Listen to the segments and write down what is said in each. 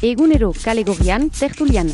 Egunero kale gorrian, tertulian.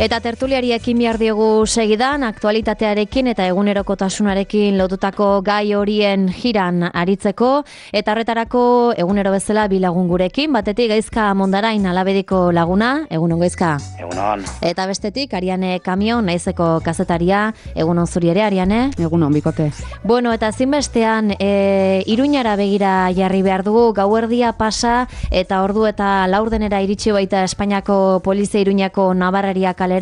Eta tertuliari ekin behar diogu segidan, aktualitatearekin eta egunerokotasunarekin lotutako gai horien jiran aritzeko, eta horretarako egunero bezala bi lagun gurekin, batetik Gaizka Mondarain Alabediko laguna, egunon Gaizka. Egunon. Eta bestetik Ariane Kamion, Naizeko kazetaria, egunon zuri ere Ariane. Egunon, bikote. Bueno, eta zinbestean, Iruñara begira jarri behar dugu, gauerdia pasa, eta ordu eta laurdenera iritsi baita Espainiako polizia Iruñako Navarreria kalera.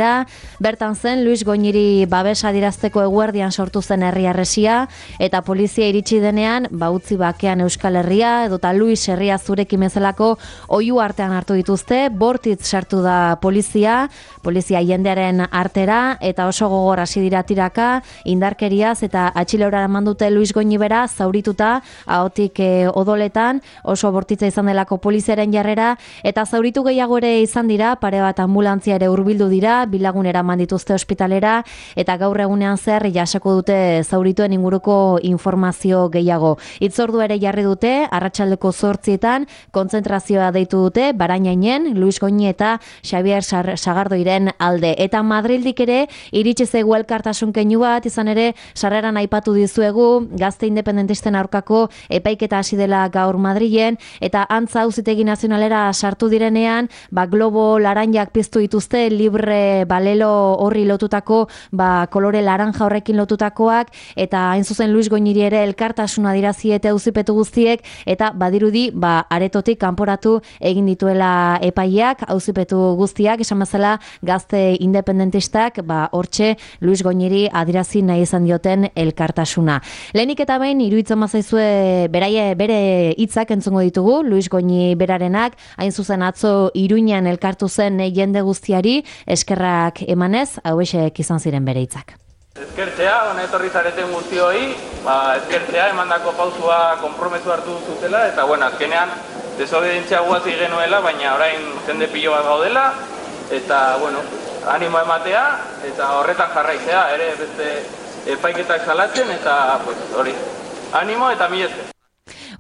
Bertan zen Luis Goñiri babesa adirazteko eguerdian sortu zen herri harresia, eta polizia iritsi denean, utzi bakean Euskal Herria, edota Luis herria zurekin bezalako oihu artean hartu dituzte, bortitz sartu da polizia jendearen artera, eta oso gogor hasi dira tiraka, indarkeriaz eta atxileora eman dute Luis Goñi bera, zaurituta, ahotik odoletan, oso bortitza izan delako poliziaren jarrera, eta zauritu gehiago ere izan dira, pare bat ambulantzia ere hurbildu dira, bilagun eraman dituzte ospitalera, eta gaur egunean zer jasoko dute zaurituen inguruko informazio gehiago. Hitzordu ere jarri dute, arratsaldeko 8etan, kontzentrazioa deitu dute, Barainainen, Luis Goñi eta Xabier Sagardoiren alde. Eta Madrildik ere, iritsi zaigu elkartasun keinu bat, izan ere, sarreran aipatu dizuegu, gazte independentisten aurkako epaiketa hasi dela gaur Madrilen, eta antza auzitegi nazionalera sartu direnean, globo laranjak piztu dituzte, libre balelo horri lotutako, kolore laranja horrekin lotutakoak, eta hain zuzen Luis Goñiri ere elkartasuna dirazi eta auzipetu guztiek, eta badirudi, aretotik kanporatu egin dituela epaileak, auzipetu guztiak, esan bezala gazte independentistak, hortxe Luis Goñiri adirazi nahi izan dioten elkartasuna. Lehenik eta behin, iruditzen mazaizue bere hitzak entzungo ditugu, Luis Goñi berarenak, hain zuzen atzo Iruñan elkartu zen jende guztiari, eskerrak emanez, hauexek izan ziren bere hitzak. Eskertzea, hona etorri zareten guztioi, eskertzea emandako pausua konpromesu hartu zutela, eta azkenean desobedientzia guazi genuela, baina orain jende pilo bat gaudela, eta animo ematea, eta horretan jarraitzea, ere beste epaiketak salatzen, eta hori, animo eta mila esker.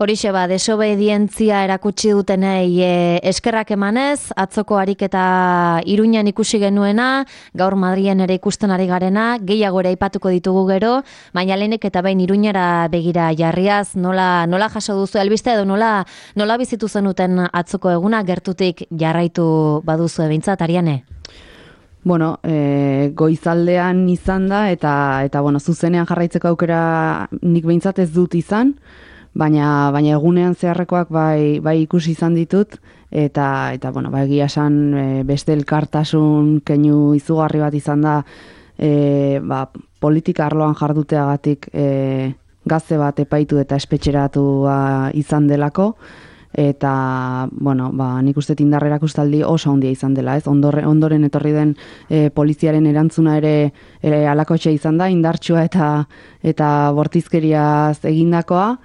Horixe desobedientzia erakutsi dutenei eskerrak emanez, atzoko ariketa Iruñan ikusi genuena, gaur Madrilen ere ikusten ari garena, gehiago ere aipatuko ditugu gero, baina lehenik eta behin Iruñara begira jarriaz, nola jaso duzu albiste edo nola bizitu zenuten atzoko eguna, gertutik jarraitu baduzu behintzat, Ariane? Bueno, goizaldean izan da, eta zuzenean jarraitzeko aukera nik behintzat ez dut izan, baina egunean zeharrekoak bai ikusi izan ditut, eta egia esan beste elkartasun keinu izugarri bat izan da, politika arloan jarduteagatik gazte bat epaitu eta espetxeratua izan delako, eta bueno, nik uste indar erakustaldi oso handia izan dela, ez? Ondoren etorri den poliziaren erantzuna ere halakotxe izan da, indartsua eta bortizkeriaz egindakoa,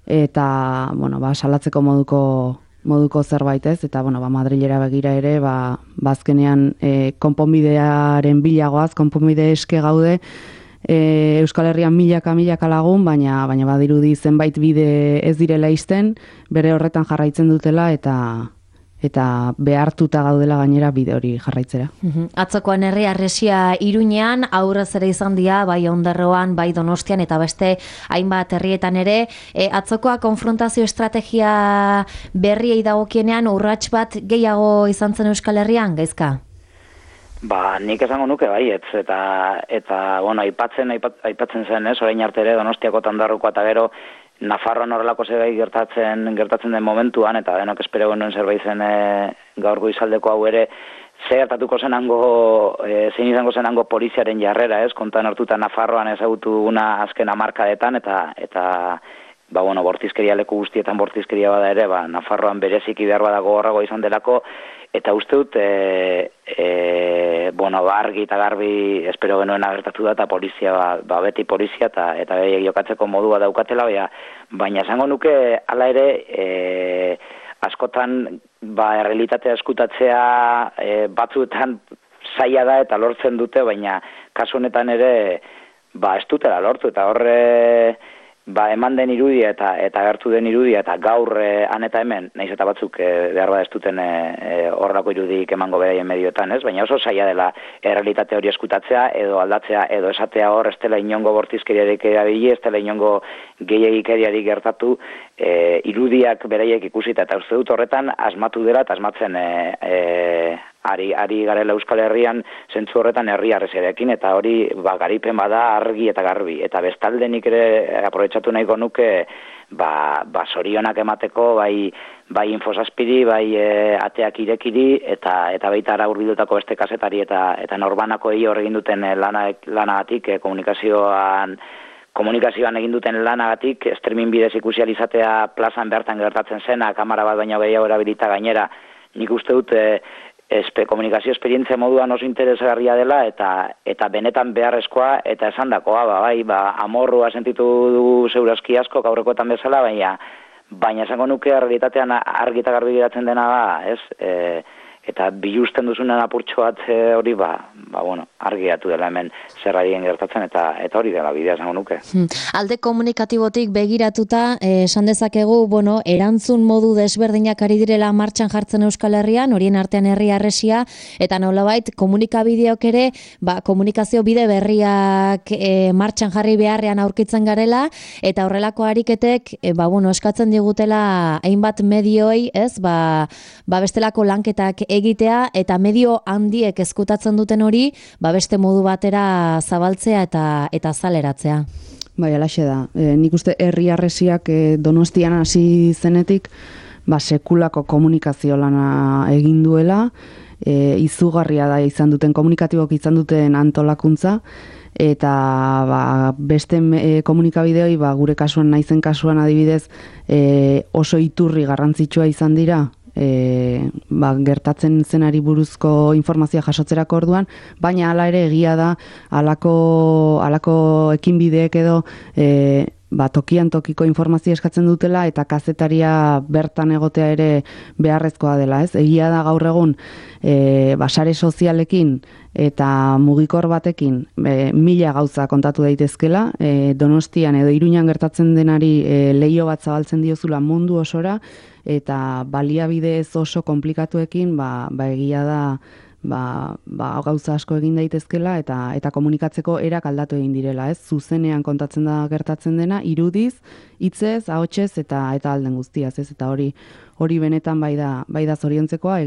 eta bueno, salatzeko moduko zerbait, ez? Eta bueno, Madrilera begira ere, azkenean konponbidearen bilagoaz, konponbide eske gaude, Euskal Herrian milaka lagun, baina badirudi zenbait bide ez direla isten, bere horretan jarraitzen dutela eta behartuta gaudela gainera bide hori jarraitzera. Atzokoan herri harresia Iruñean, aurrez ere izan dira, bai Ondarroan, bai Donostian, eta beste hainbat herrietan ere. Atzokoa konfrontazio estrategia berriei dagokienean urrats bat gehiago izan zen Euskal Herrian, Gaizka? Nik esango nuke baietz, eta bueno, aipatzen zen, ez, orain arte ere Donostiako eta Ondarrokoa eta gero Nafarroan horrelako zerbait gertatzen den momentuan, eta denok espero genuen zerbait zen gaur goizaldeko hau ere, zein izango zenango poliziaren jarrera, ez, kontan hartuta Nafarroan ezagutuguna azken hamarkadetan, eta bortizkeria leku guztietan bortizkeria bada ere, Nafarroan bereziki behar bada gogorrago izan delako, eta uste dut, argi eta garbi espero genuen agertatu da, eta polizia, beti polizia, eta jokatzeko modua daukatela, baina esango nuke, hala ere, askotan, errealitatea eskutatzea batzuetan zaila da eta lortzen dute, baina kasu honetan ere, ez dutela lortu, eta horre, eman den irudia eta gertu den irudia eta gaur han eta hemen, nahiz eta batzuk behar ez duten horrelako irudik emango beraien medioetan, ez? Baina oso zaila dela errealitate hori eskutatzea edo aldatzea edo esatea hor ez dela inongo bortizkeriarik erabili, ez dela inongo gehiagikeriarik gertatu, irudiak beraiek ikusita, eta uste dut horretan asmatu dela eta asmatzen ari garela Euskal Herrian zentzu horretan herri harreziarekin, eta hori garipen bada argi eta garbi. Eta bestalde nik ere aprobetxatu nahiko nuke zorionak emateko, bai Infosazpiri, bai ateak irekiri, eta baita ara hurbildutako beste kazetari eta norbanakoei hor egin duten lanagatik, komunikazioan egin duten lanagatik, streaming bidez ikusi izatea plazan bertan gertatzen zena, kamera bat baino gehiago erabilita gainera, nik uste dut komunikazio esperientzia moduan oso interesgarria dela eta benetan beharrezkoa eta esandakoa, amorrua sentitu dugu segurazki asko aurrekoetan bezala, baina esango nuke realitatean argi eta garbi geratzen dena da, ez? Eta bilusten duzunen apurtxo bat hori, argiatu dela hemen zerrarien gertatzen eta hori dela bidea esango nuke. Alde komunikatibotik begiratuta, esan dezakegu, erantzun modu desberdinak ari direla martxan jartzen Euskal Herrian, horien artean herri harresia, eta nolabait komunikabideok ere, komunikazio bide berriak martxan jarri beharrean aurkitzen garela, eta horrelako ariketek, eskatzen digutela hainbat medioi, ez, bestelako lanketak egitea, eta medio handiek eskutatzen duten hori, beste modu batera zabaltzea eta zaleratzea. Alaxe da. Nik uste herri harresiak Donostian hasi zenetik, sekulako komunikazio lana egin duela, izugarria da izan duten, komunikatibok izan duten antolakuntza, eta beste komunikabideoi, gure kasuan naizen kasuan adibidez, oso iturri garrantzitsua izan dira, gertatzen zenari buruzko informazioa jasotzerako orduan, baina hala ere egia da halako ekinbideek edo tokian tokiko informazioa eskatzen dutela eta kazetaria bertan egotea ere beharrezkoa dela, ez? Egia da gaur egun sare sozialekin eta mugikor batekin mila gauza kontatu daitezkela, Donostian edo Iruñan gertatzen denari leiho bat zabaltzen diozula mundu osora, eta baliabide ez oso komplikatuekin egia da gauza asko egin daitezkela eta komunikatzeko erak aldatu egin direla, ez? Zuzenean kontatzen da gertatzen dena, irudiz, hitzez, ahotsez eta alden guztiaz, ez? Eta hori benetan bai da zoriontzekoa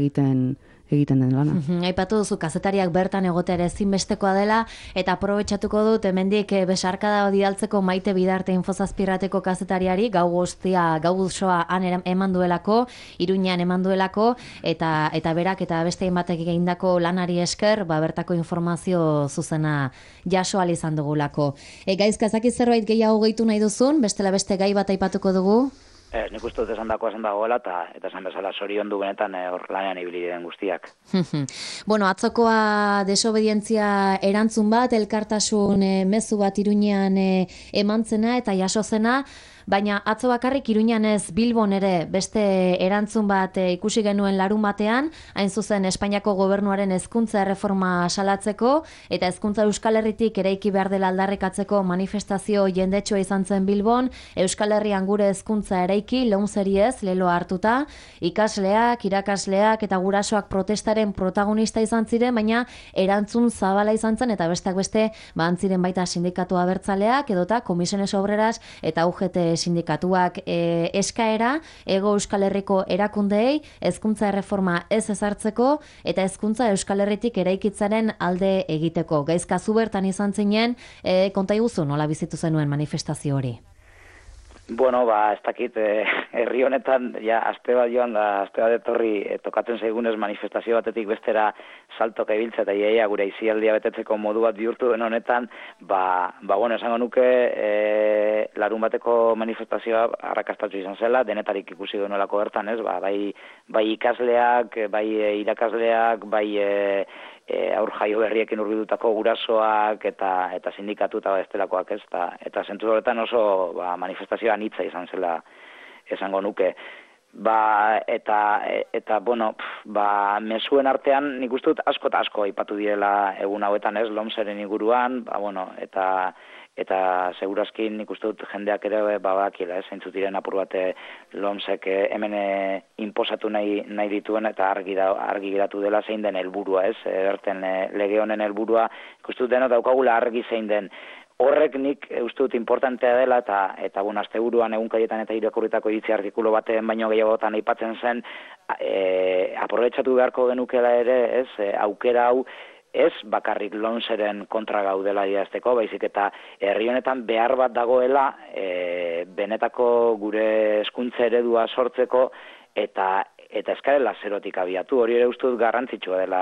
egiten den lana. Aipatu duzu kazetariak bertan egotea ere ezinbestekoa dela, eta aprobetxatuko dut hemendik besarkada bidaltzeko Maite Bidarte Infosazpirrateko kazetariari, gau osoa han eman duelako, Iruñean eman duelako, eta berak eta beste hainbatek egindako lanari esker, bertako informazio zuzena jaso ahal izan dugulako. Gaizka, ezakit zerbait gehiago gehitu nahi duzun, bestela beste gai bat aipatuko dugu? Nik uste dut esan dagoela, eta esan bezala zoriondu benetan hor lanean ibili diren guztiak. Bueno, atzokoa desobedientzia erantzun bat, elkartasun mezu bat Iruñean emantzena eta jasozena, baina atzo bakarrik Iruñean ez Bilbon ere beste erantzun bat ikusi genuen larun batean, hain zuzen Espainiako gobernuaren hezkuntza erreforma salatzeko eta hezkuntza Euskal Herritik eraiki behar dela aldarrikatzeko manifestazio jendetsua izan zen Bilbon, Euskal Herrian gure hezkuntza eraiki, lomzeri ez, leloa hartuta, ikasleak, irakasleak eta gurasoak protestaren protagonista izan ziren, baina erantzun zabala izan zen eta besteak beste ziren baita sindikatu abertzaleak edota Comisiones Obreras eta UGT sindikatuak eskaera Hego Euskal Herriko erakundeei hezkuntza erreforma ez ezartzeko eta hezkuntza Euskal Herritik eraikitzaren alde egiteko. Gaizka zu bertan izan zinen, konta iguzu nola bizitu zenuen manifestazio hori? Bueno, ez dakit, herri honetan, ja, aste bat joan da, aste bat etorri, tokatzen zaigunez manifestazio batetik bestera saltoka ibiltza eta iaia gure izialdia betetzeko modu bat bihurtu den honetan, bueno, esango nuke, larun bateko manifestazioa arrakastatsu izan zela, denetarik ikusi genuelako bertan, ez, bai ikasleak, bai irakasleak, bai aur jaio berriekin hurbildutako gurasoak eta sindikatu eta bestelakoak, ez, eta zentzu horretan oso manifestazioa anitza izan zela esango nuke. Eta bueno, mezuen artean nik uste dut asko eta asko aipatu direla egun hauetan, ez, lomzeren inguruan, bueno, eta segurazki nik uste dut jendeak ere badakila, zeintzuk diren apur bat lomzek hemen inposatu nahi dituen eta argi geratu dela zein den helburua, ez, berten lege honen helburua, ikustu dut denok daukagula argi zein den. Horrek nik uste dut importantea dela eta bueno, asteburuan egunkaietan eta irakurritako iritzi artikulu baten baino gehiagotan aipatzen zen aprobetxatu beharko genukela ere, ez, aukera hau ez bakarrik lomzeren kontra gaudela diazteko, baizik eta herri honetan behar bat dagoela benetako gure hezkuntza eredua sortzeko eta eskarela zerotik abiatu. Hori ere uste dut garrantzitsua dela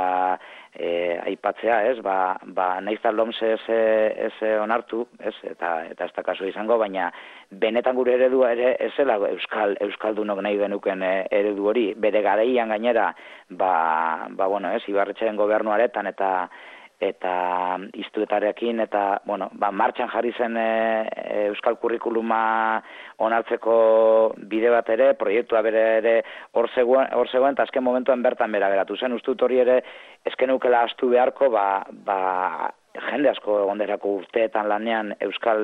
aipatzea, ez, nahiz eta lomze ez onartu, ez, eta ez da kasu izango, baina benetan gure eredua ere ez zela euskaldunok nahi genuken eredu hori, bere garaian gainera, bueno, ez, Ibarretxeren gobernuaretan eta iztuetarekin eta, bueno, martxan jarri zen euskal kurrikuluma onartzeko bide bat ere, proiektua bere ere hor zegoen, eta azken momentuan bertan bera geratu zen, ustut hori ere eskenukela astu beharko, jende asko egonderako urteetan lanean euskal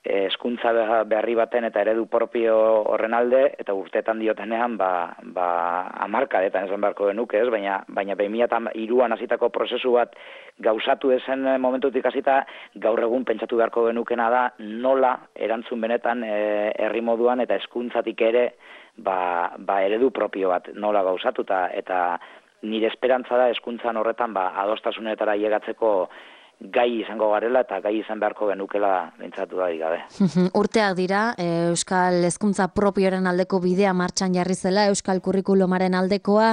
hezkuntza berri baten eta eredu propio horren alde, eta urteetan diotenean, hamarkadetan esan beharko genuke, ez? Baina 2003an hasitako prozesu bat gauzatu ezen momentutik hasita, gaur egun pentsatu beharko genukena da, nola erantzun benetan herri moduan eta hezkuntzatik ere, eredu propio bat nola gauzatu, eta nire esperantza da hezkuntzan horretan, adostasunetara llegatzeko gai izango garela eta gai izan beharko genukela bintzatu da gabe. Urteak dira, Euskal hezkuntza propioaren aldeko bidea martxan jarri zela, Euskal kurrikulumaren aldekoa.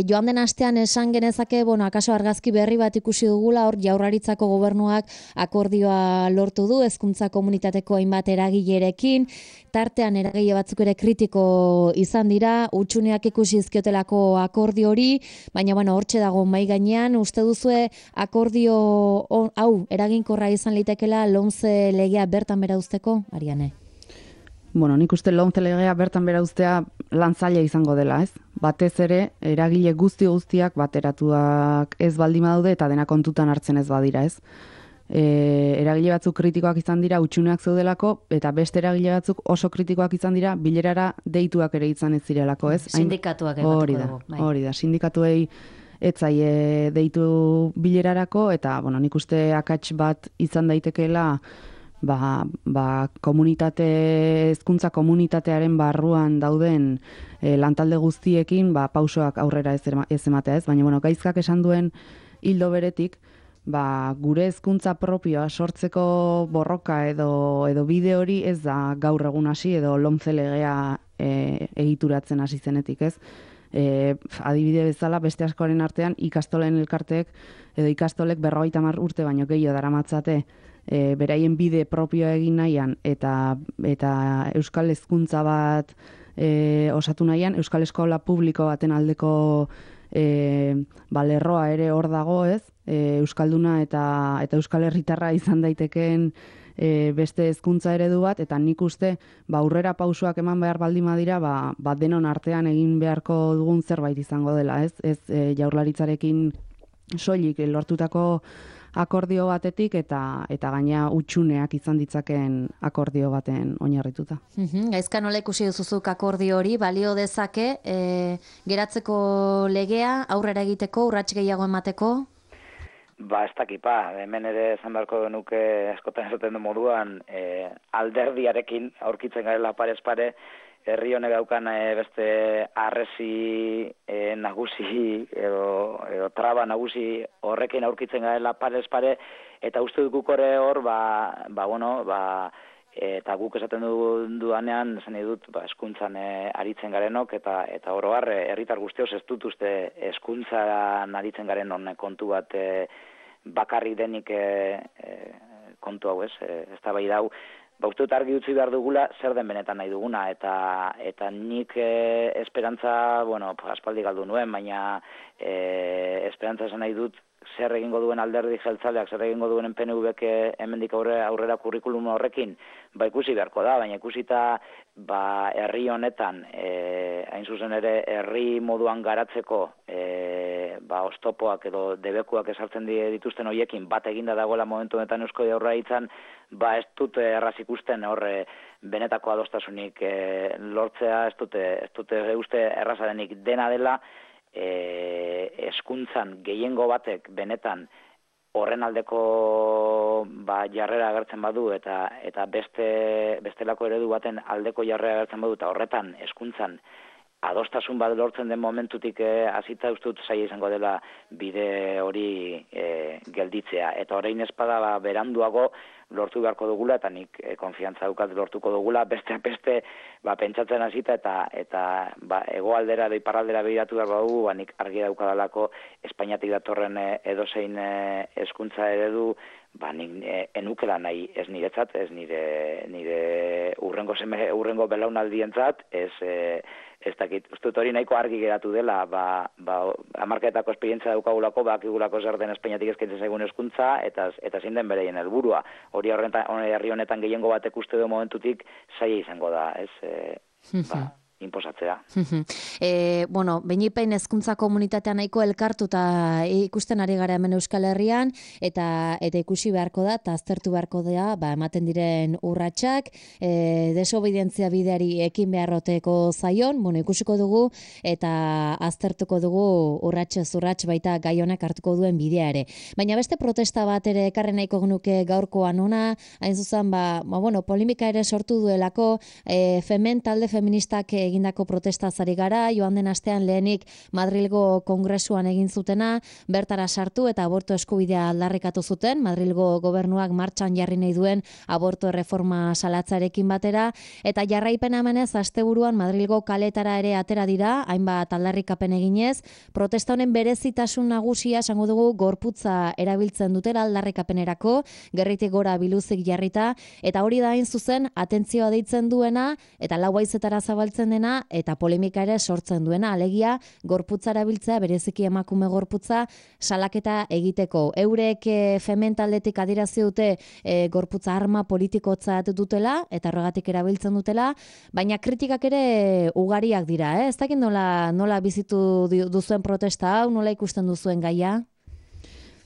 Joan den astean esan genezake, bueno, akaso argazki berri bat ikusi dugula, hor Jaurlaritzako gobernuak akordioa lortu du, hezkuntza komunitateko hainbat eragilerekin, tartean eragile batzuk ere kritiko izan dira, hutsuneak ikusi izkiotelako akordio hori, baina bueno, hortxe dago mahai gainean, uste duzue akordio hau eraginkorra izan litekela lomze legea bertan bera uzteko, Ariane? Bueno, nik uste lomze legea bertan bera uztea lantzaile izango dela, ez? Batez ere, eragile guztiak bateratuak ez baldin badaude eta dena kontutan hartzen ez badira, ez? Eragile batzuk kritikoak izan dira hutsuneak zeudelako eta beste eragile batzuk oso kritikoak izan dira bilerara deituak ere izan ez zirelako, ez? Sindikatuak hori da, sindikatuei etzaie deitu bilerarako eta bueno, nik uste akats bat izan daitekeela hezkuntza komunitatearen barruan dauden lantalde guztiekin pausoak aurrera ez ematea, ez? Baina bueno, Gaizkak esan duen hildo beretik, gure hezkuntza propioa sortzeko borroka edo bide hori ez da gaur egun hasi edo lomze legea egituratzen hasi zenetik, ez? Adibide bezala beste askoren artean ikastolen elkarteek edo ikastolek 50 urte baino gehiago daramatzate beraien bide propioa egin nahian eta euskal hezkuntza bat osatu nahian, euskal eskola publiko baten aldeko lerroa ere hor dago, ez? Euskalduna eta euskal herritarra izan daitekeen beste hezkuntza eredu bat, eta nik uste aurrera pausoak eman behar baldin badira, denon artean egin beharko dugun zerbait izango dela, ez? Ez Jaurlaritzarekin soilik lortutako akordio batetik eta gaina utxuneak izan ditzaken akordio baten oinarrituta. Gaizka nola ikusi duzuzuk akordio hori, balio dezake geratzeko legea aurrera egiteko, urrats gehiago emateko? Ez dakipa, hemen ere esan beharko genuke askotan esaten du moduan alderdiarekin aurkitzen garela parez pare, herri honek daukan beste arresi nagusi edo traba nagusi horrekin aurkitzen garela parez pare, eta uste dut guk hor, eta guk esaten dudanean, esan dut, hezkuntzan aritzen garenok, eta oro har, herritar guztioz ez dut uste hezkuntzan aritzen garen honek kontu bat bakarrik denik kontu hau, ez da bai dau, uste dut argi utzi behar dugula zer den benetan nahi duguna, eta nik esperantza, aspaldi galdu nuen, baina esperantza esan nahi dut zer egingo duen alderdi jeltzaleak, zer egingo duen PNV-ek hemendik aurrera kurrikulum horrekin, ikusi beharko da, baina ikusita herri honetan, hain zuzen ere herri moduan garatzeko oztopoak edo debekuak esartzen dituzten horiekin bat eginda dagoela momentu honetan Eusko Jaurlaritzan, ez dut erraz ikusten horre benetako adostasunik lortzea, ez dute uste erraza denik, dena dela hezkuntzan gehiengo batek benetan horren aldeko jarrera agertzen badu eta bestelako eredu baten aldeko jarrera agertzen badu, eta horretan hezkuntzan adostasun bat lortzen den momentutik hasita uste dut zaila izango dela bide hori gelditzea. Eta orain espada beranduago lortu beharko dugula, eta nik konfiantza dukat lortuko dugula, beste pentsatzen hasita eta hegoaldera edo iparraldera begiratu behar badugu, nik argi daukadalako Espainiatik datorren edozein hezkuntza eredu, nik enukela nahi ez niretzat, ez nire urrengo belaunaldientzat, ez dakit, uste dut hori nahiko argi geratu dela, hamarkadetako esperientzia daukagulako, bakigulako zer den Espainiatik eskaintzen zaigun hezkuntza, eta zein den bereien helburua. Hori herri honetan gehiengo batek uste du momentutik zaila izango da, inposatzea. Beinipein hezkuntza komunitatea nahiko elkartuta ikusten ari gara hemen Euskal Herrian, eta ikusi beharko da, eta aztertu beharko da, ematen diren urratsak, desobedientzia bideari ekin beharroteko zaion, ikusiko dugu, eta aztertuko dugu urratsez urrats baita gai honek hartuko duen bidea ere. Baina beste protesta bat ere ekarri nahiko genuke gaurkoan ona, hain zuzen, polemika ere sortu duelako, talde feministak egindako protesta zari gara, joan den astean lehenik Madrilgo Kongresuan egin zutena, bertara sartu eta aborto eskubidea aldarrikatu zuten, Madrilgo gobernuak martxan jarri nahi duen aborto erreforma salatzarekin batera, eta jarraipena emanez asteburuan Madrilgo kaletara ere atera dira, hainbat aldarrikapen eginez, protesta honen berezitasun nagusia esango dugu gorputza erabiltzen dutela aldarrikapenerako, gerritik gora biluzik jarrita, eta hori da hain zuzen atentzioa deitzen duena, eta lau haizetara zabaltzen dena, eta polemika ere sortzen duena, alegia gorputza erabiltzea, bereziki emakume gorputza salaketa egiteko. Eurek fementaldetik adirazi dute gorputza arma politikotzat dutela, eta horregatik erabiltzen dutela, baina kritikak ere ugariak dira, ez dakit nola bizitu duzuen protesta hau, nola ikusten duzuen gaia?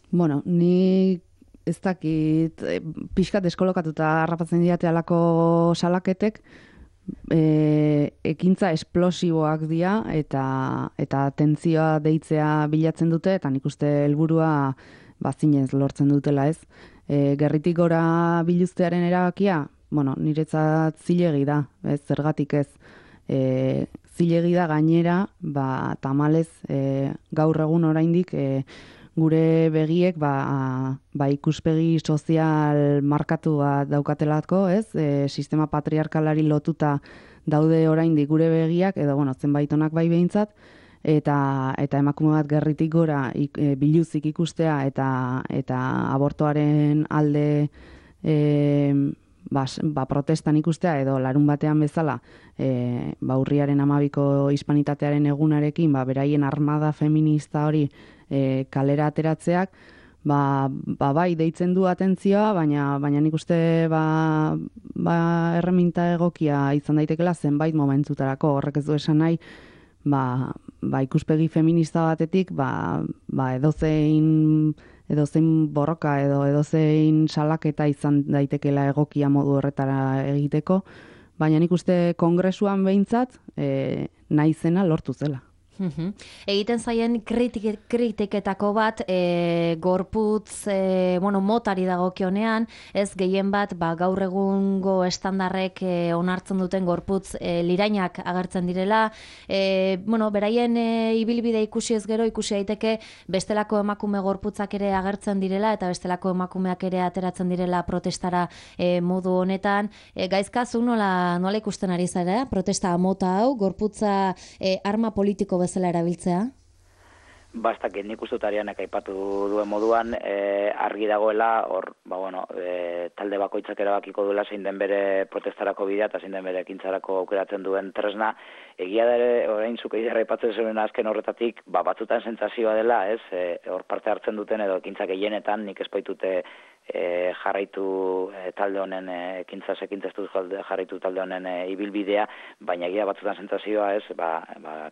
Ni ez dakit, pixkat deskolokatuta harrapatzen diate alako salaketek, ekintza esplosiboak dira eta tentzioa deitzea bilatzen dute, eta nik uste helburua zinez lortzen dutela, ez. Gerritik gora biluztearen erabakia, niretzat zilegi da, ez, zergatik ez. Zilegi da gainera, tamalez gaur egun oraindik gure begiek ikuspegi sozial markatu bat daukatelako, ez? Sistema patriarkalari lotuta daude oraindik gure begiak, edo zenbait onak bai behintzat, eta emakume bat gerritik gora biluzik ikustea eta abortoaren alde protestan ikustea edo larun batean bezala urriaren 12ko hispanitatearen egunarekin beraien armada feminista hori kalera ateratzeak bai deitzen du atentzioa, baina nik uste erreminta egokia izan daitekela zenbait momentutarako. Horrek ez du esan nahi ikuspegi feminista batetik edozein borroka edo edozein salaketa izan daitekela egokia modu horretara egiteko, baina nik uste kongresuan behintzat nahi zena lortu zela. Egiten zaien kritiketako bat gorputz motari dagokionean, ez gehien bat gaur egungo estandarrek onartzen duten gorputz lirainak agertzen direla, beraien ibilbide ikusi ez gero ikusi daiteke bestelako emakume gorputzak ere agertzen direla eta bestelako emakumeak ere ateratzen direla protestara modu honetan. Gaizka, zu nola ikusten ari zara protesta mota hau, gorputza arma politiko bezala erabiltzea? Bastak, nik uste dut Arianek aipatu duen moduan, argi dagoela, talde bakoitzak erabakiko duela zein den bere protestarako bidea eta zein den bere ekintzarako aukeratzen duen tresna. Egia da ere, orain zuk egitarra aipatzen zuen azken horretatik, batzutan sentsazioa dela, ez, hor parte hartzen duten edo ekintzak gehienetan, nik ez baitute jarraitu talde honen jarraitu talde honen ibilbidea, baina egia batzutan sentsazioa ez,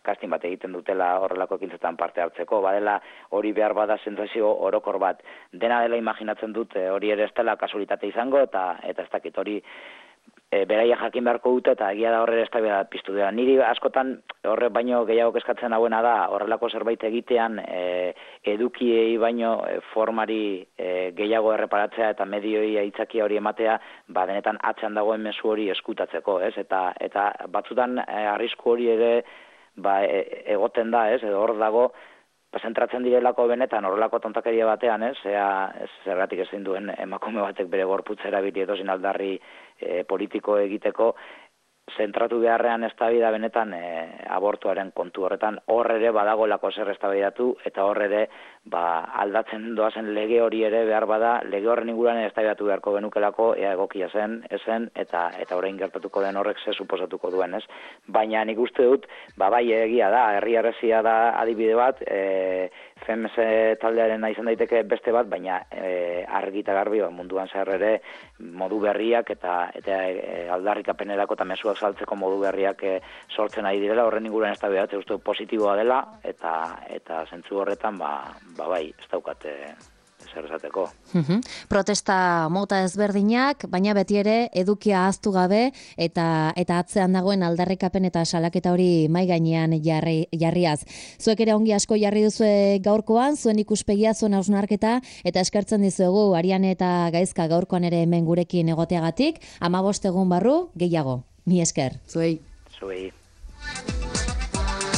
casting bat egiten dutela horrelako ekintzetan parte hartzeko, badela hori behar bada sentsazio orokor bat. Dena dela imaginatzen dut, hori ere ez dela kasualitate izango, eta ez dakit hori beraia jakin beharko dute eta egia da horre ez da piztu dela. Niri askotan horre baino gehiago kezkatzen hauena da horrelako zerbait egitean edukiei baino formari gehiago erreparatzea eta medioi aitzakia hori ematea, denetan atzean dagoen mezu hori eskutatzeko, ez? Eta batzutan arrisku hori ere egoten da, ez? Edo hor dago zentratzen direlako benetan horrelako tontakeria batean, ez? Zergatik ezin duen emakume batek bere gorputza erabili edozin aldarri politiko egiteko, zentratu beharrean eztabaida benetan abortuaren kontu horretan, hor ere badagoelako zer eztabaidatu eta hor ere aldatzen doazen lege hori ere behar bada, lege horren inguruan eztabaidatu beharko genukelako ea egokia zen, ezen eta orain gertatuko den horrek ze suposatuko duen, ez? Baina nik uste dut, bai egia da, herri harresia da adibide bat, FEMS taldearen izan daiteke beste bat, baina argi eta garbi munduan zehar ere modu berriak eta aldarrikapenerako eta mezuak saltzeko modu berriak sortzen ari direla, horren inguruan eztabaidatzen uste positiboa dela eta zentzu horretan bai, ez daukate zer esateko. Protesta mota ezberdinak, baina beti ere edukia ahaztu gabe eta atzean dagoen aldarrikapen eta salaketa hori mai gainean jarriaz. Zuek ere ongi asko jarri duzue gaurkoan, zuen ikuspegia, zuen hausnarketa eta eskertzen dizuegu Ariane eta Gaizka gaurkoan ere hemen gurekin egoteagatik, 15 egun barru gehiago. Mi esker. Zuei. Zuei.